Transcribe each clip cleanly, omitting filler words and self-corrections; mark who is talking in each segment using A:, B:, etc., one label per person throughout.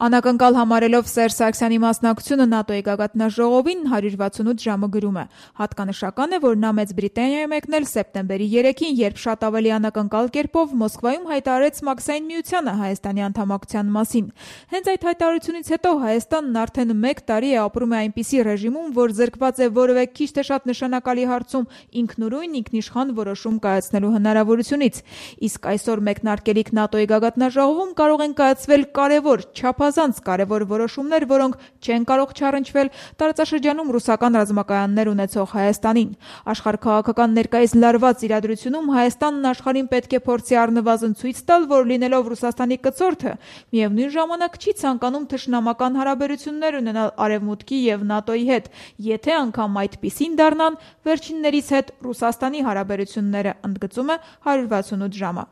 A: Անակնկալ համարելով Սերժ Սարգսյանի մասնակցությունը ՆԱՏՕ-ի գագաթնաժողովին 168 ժամը գրում է. հատկանշական է, որ նա Մեծ Բրիտանիա է մեկնել սեպտեմբերի 3-ին, երբ շատ ավելի անակնկալ կերպով Մոսկվայում հայտարարեց Մաքսային միությանը Հայաստանի անդամակցության մասին։ Հենց այդ հայտարարությունից հետո Հայաստանն արդեն 1 տարի է ապրում է այնպիսի ռեժիմում, որ զրկված է որևէ քիչ թե շատ նշանակալի հարցում ինքնուրույն ինքնիշխան որոշում կայացնելու հնարավորությունից։ Իսկ այսօր մեկնարկելիք ՆԱՏՕ-ի գագաթնաժողովում կարող են կայացվել կարևոր, չափազանց կարևոր որոշումներ, որոնք չեն կարող չառընչվել տարածաշրջանում ռուսական ռազմակայաններ ունեցող Հայաստանին։ Աշխարհաքաղաքական ներկայիս լարված իրադրությունում Հայաստանն աշխարհին պետք է փորձի առնվազն ցույց տալ, որ լինելով Ռուսաստանի կցորդը, միևնույն ժամանակ չի ցանկանում թշնամական հարաբերություններ ունենալ Արևմուտքի եւ ՆԱՏՕ-ի հետ, եթե անգամ այդպիսին դառնան վերջիններիս հետ Ռուսաստանի հարաբերությունները, ընդգծում է 168 ժամը։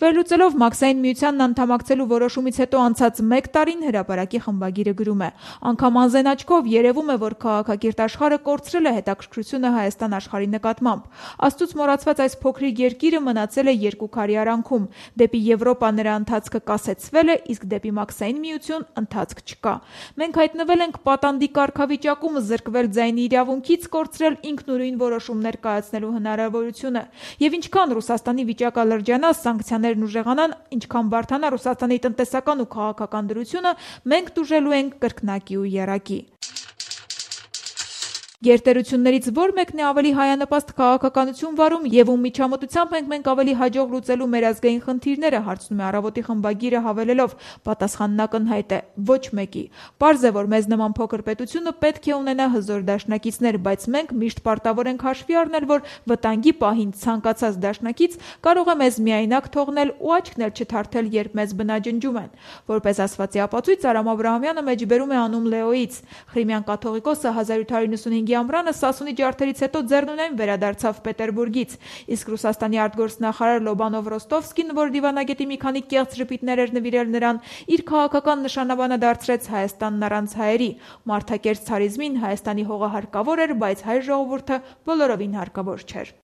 A: Վերլուծելով Մաքսային միությանն անդամակցելու որոշումից հետո անցած 1 տարին հրապարակի խմբագիրը գրում է. անգամ անզեն աչքով երևում է, որ քաղաքակիրթ աշխարհը կորցրել է հետաքրքրությունը Հայաստան աշխարհի նկատմամբ։ Աստծուց մոռացված այս փոքրիկ երկիրը մնացել է երկու քարի արանքում։ Դեպի Եվրոպա նրա ընթացքը կասեցվել է, իսկ դեպի Մաքսային միություն ընթացք չկա։ Մենք հայտնվել ենք պատանդի կարգավիճակում, զրկվել ձայնի իրավունքից, կորցրել ինքնուրույն որոշումներ կայացնելու հնարավորությունը։ Եվ ինչքան Ռուսաստանի վիճակը լրջանա, սանկցիաներն ուժեղանան, ինչքան բարդանա Ռուսաստանի տնտեսական ու քաղաքական դրությունը, մենք տուժելու ենք կրկնակի ու եռակի։ Գերտերություններից որ մեկն է ավելի հայանպաստ քաղաքականություն վարում եւ ում միջամտությամբ մենք ավելի հաջող լուծելու մեր ազգային խնդիրները, հարցնում է Առավոտի խմբագիրը հավելելով. պատասխանն ակնհայտ է՝ ոչ մեկի։ Պարզ է, որ մեզ նման փոքր պետությունը պետք է ունենա հզոր դաշնակիցներ, բայց մենք միշտ պարտավոր ենք հաշվի առնել, որ վտանգի պահին ցանկացած դաշնակից կարող է մեզ միայնակ թողնել ու աչքն էլ չթարթել, երբ մեզ բնաջնջում են։ Որպես ասվածի ապացույց Արամ Աբրահամյանը մեջբերում է անուն Լեոից։ Ղրիմյան կաթողիկոսը 1795 ամռանը Սասունի ջարդերից հետո ձեռնունայն վերադարձավ Պետերբուրգից, իսկ Ռուսաստանի արտգործնախարար Լոբանով Ռոստովսկին, որ դիվանագետի մի քանի կեղծ ժպիտներ էր նվիրել նրան, իր քաղաքական նշանաբանը դարձրեց Հայաստանն առանց հայերի։ Մարդակերտ ցարիզմին Հայաստանի հողը հարկավոր էր, բայց հայ ժողովուրդը բոլորովին հարկավոր չէր։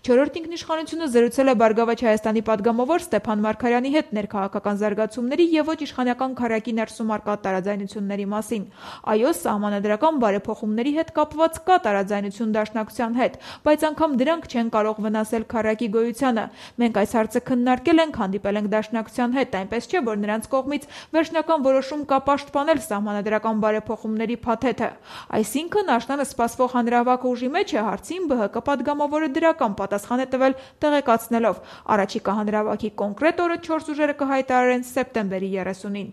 A: Չորրորդ ինքնիշխանությունը զրուցել է Բարգավաճ Հայաստանի падգամավոր Ստեփան Մարգարյանի հետ ներքաղաքական զարգացումների եւ ոչ իշխանական քարակի ներսում առկա տարաձայնությունների մասին։ Այո, սահմանադրական բարեփոխումների հետ կապված կա տարաձայնություն դաշնակցության հետ, բայց անգամ դրանք չեն կարող վնասել քարակի գոյությանը։ Մենք այս հարցը քննարկել ենք, հանդիպել ենք դաշնակցության հետ, այնպես չէ, որ նրանց կողմից վերջնական որոշում կա պաշտպանել սահմանադրական բարեփոխումների փաթեթը։ Այսինքն աշնանը սպասվող հանրահավաք ուժի մեջ է հարցին ԲՀԿ падգամավորը դրական պատասխան է տվել տեղեկացնելով. առաջիկա հանրահավաքի կոնկրետ օրը 4 ուժերը կհայտարարեն սեպտեմբերի 30-ին։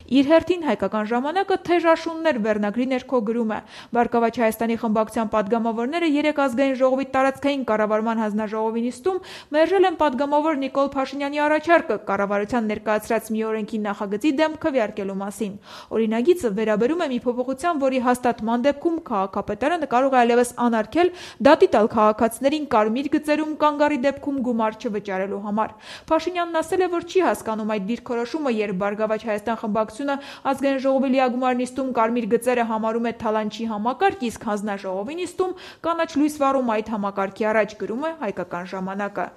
A: Իր հերթին հայկական ժամանակը թեժ աշուններ վերնագրի ներքո գրում է. Բարգավաճ Հայաստանի խմբակցության падգամավորները 3 ազգային ժողովի տարածքային կառավարման հանձնաժողովի նիստում մերժել են падգամավոր Նիկոլ Փաշինյանի առաջարկը կառավարության ներկայացրած մի օրենքի նախագծի դեմ քվեարկելու մասին։ Օրինագիծը վերաբերում է մի փոփոխության, որի հաստատման դեպքում քաղաքապետարանը կարող է այլևս անարգել դատի տալ քաղաքացիներին կարմիր գծերում կանգառի դեպքում գումար չվճարելու համար։ Փաշինյանն ասել է, որ չի հասկանում այդ դիրքորոշումը, երբ Բարգավաճ Հայաստան խմբակցությունը ազգային ժողովի լիագումար նիստում կարմիր գծերը համարում է թալանչի համակարգ, իսկ հանձնաժողովի նիստում կանաչ լույս վառում այդ համակարգի առաջ, գրում է Հայկական ժամանակը։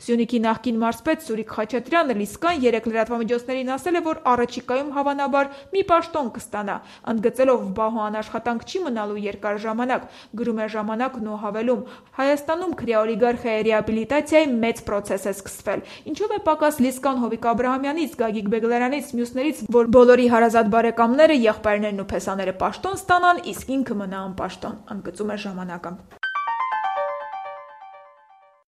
A: Սյունիքի նախկին մարզպետ Սուրիկ Խաչատրյանը Լիսկան 3 լրատվամիջոցներին ասել է, որ առաջիկայում հավանաբար մի պաշտոն կստանա, ընդգծելով բահու անաշխատանք չի մնալու երկար ժամանակ, գրում է Ժամանակն ու հավելում. Հայաստանում քրեաօլիգարխիայի ռեաբիլիտացիայի մեծ պրոցես է սկսվել, ինչով է պակաս Լիսկան Հովիկ Աբրահամյանից, Գագիկ Բեգլարանից, մյուսներից, որ բոլորի հարազատ բարեկամները, եղբայրներն ու փեսաները պաշտոն ստանան, իսկ ինքը մնա անպաշտոն, ընդգծում է Ժամանակը։